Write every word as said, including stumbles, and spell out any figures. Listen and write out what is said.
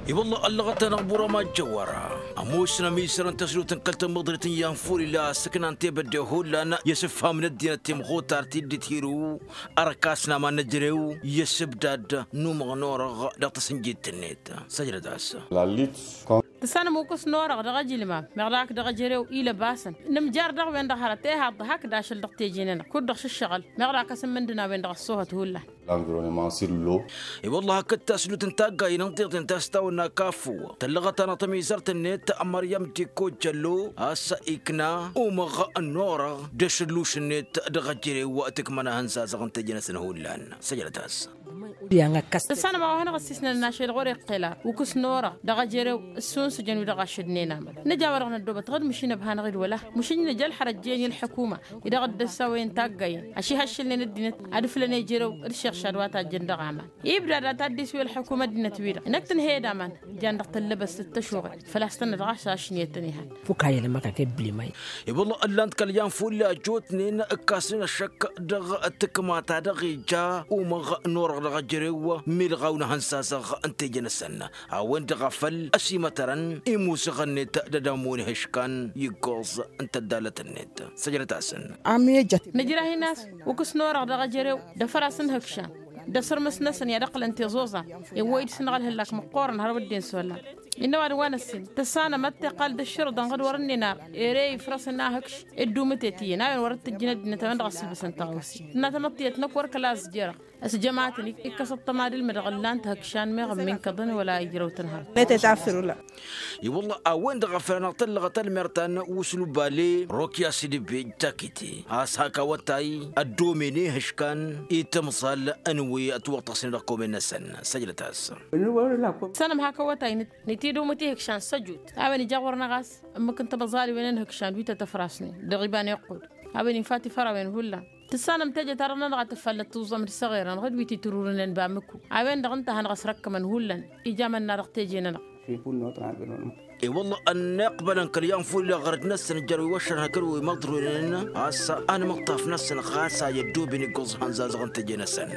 I-wălla ăllăɣăt-anăɣ burama jăwăra ămoosăn ămizărăn tăslut n-kăl-tămmăḍrit n-iyyăn ful ila a-s ǝknan tebădde hullan i-asǝfham n-ăddinăt timɣutar ti dd-tirǝw ărkas n-aman n-ejărew i-asǝbdad n-umăɣ n-orăɣ dăɣ-tasǝnjit-net. Săjdăt-as. Tǝssanăm ukǝs n-orăɣ dăɣ-ajǝlmam meɣ dak dăɣ-ejărew ilăbasăn nǝmjar dăɣ-wen-dăɣ hărăt ihaḍ hakd ašăl dăɣ-teje-nănăɣ kud-dăɣ šǝššăɣǝl meɣ dak asǝmmǝndǝn a-wen-dăɣ ăṣṣoohăt hullan. L'environnement sur l'eau. I-wălla hakd taslut n-taggayen n-tiḍen ta s-tawănna kafu tăllăɣăt-anăɣ tamizărt-net măryăm dikko jăllo a-s ikna umăɣ n-orăɣ d-ašǝlluš-net dăɣ-ejărew tǝkmăn ahăn zazăɣ n-teje-năsăn hullan. Săjdăt-as. Tǝssanăm a-wa hanăɣ-ăssisnăn n-ašăl ɣur-iqqel ar ukǝs n-orăɣ dăɣ-ejărew ǝssunsǝjăn wi-dăɣ ašădnen aman nǝja wa-dăɣ năddoobăt ɣǝd măšin ăbhanăɣ-dd wăla măšin nǝja ălxărăt jen i-ălḥukuma i-dăɣ dd-ăssawăyăn taggayen ašihăššǝlnen ăddinăt ad-ǝflăn ejărew d-ašiɣšad wa tajjăn dăɣ-aman. Ibdad ad-t-ad-dd-iswi ălḥukuma ăddinăt-wi-dăɣ năkk-tǝnhăyăd aman jan dăɣ-tăllăbăst d-tăšuɣe făl-a-s tănnădăɣ ašašnet-tăn ihăn. Fuk a ilămăk a kebli may. I-wălla ǝllan-t kăl-iyyăn fulla ăjjootnen ǝkkasnen ăššăk dăɣ-tǝkma ta dăɣ-ija umăɣ n-orăɣ dăɣ-ejărew milɣaw n-ehăn sazăɣ n-teje-năsăn a-wen-dăɣ a făl ăsimătărăn imusǝɣăn-net d-ad-ămmun ihǝškan i-ǝggoẓ n-tăddalăt-net. Săjdăt-asăn. Nǝjrah-in a-s ukǝs n-orăɣ dăɣ-ejărew d-afăras n-ihǝkšan d-asǝrmǝs-năsăn i-ad-ǝqqǝlăn tiẓuẓa iwwăy-dd s-inɣăl hǝllak măqqoorăn hărăw ăddin s-ollan. Innă ăwadǝm wa n-ăssin tǝssanăm ad-t-iqqal d-ǝššǝrǝḍăn ɣǝd wăr-ǝnnin ar ere ifrăs n-ahǝkš dd-umǝtet iyyăn a-wen wăr-dd-tǝjjǝn ăddinăt a-wen-dăɣ ăssǝlbǝsăn tăɣawse tǝnna tamăḍtiyăt năkk wăr kăla ăzjărăɣ ăsjămatăn ikkăs ăṭṭăma d-ǝlmǝdăɣ ǝllan-t ihǝkšan meɣ ǝmminkăḍăn wăla ijrăw-tăn hărăt. I-wălla a-wen-dăɣ a făl-anăɣ tăllăɣăt ălmer ta n-wuslu bale rokyas d-ibij takite a-s hak awătay ăddomen ihǝškan i-timẓal n-wi ătwăṭṭăsnen dăɣ-komen-năsăn. Săjdăt-as. Tǝssanăm hak awătay nǝt-i d-umǝt ihǝkšan săjut a-wen ija ɣur-năɣ a-s ǝmmǝk n-tibăẓaliwen n-ihǝkšan wi tăt-ăfrasnen dăɣ-iba n-iqqud a-wen infa tifărawen hullan. Tǝssanăm teje-ta-dăɣ-nănăɣ a tǝffallăt tuẓẓăm d-săɣerăn ɣǝd wi t-itǝrurǝnen bamǝku a-wen-dăɣ ǝnta a hanăɣ-ăsrăkkămăn hullan ija mănna dăɣ-teje-nănăɣ. I-wălla ănniqbălăn kăl-iyyăn fulla ɣărăt-năsăn jer-wi wăššărhăn kăl-wi măḍrǝwnen a-s anmǝṭṭaf-năsăn ɣas a i-ăddooben iggoẓ ihăn zazăɣ n-teje-năsăn.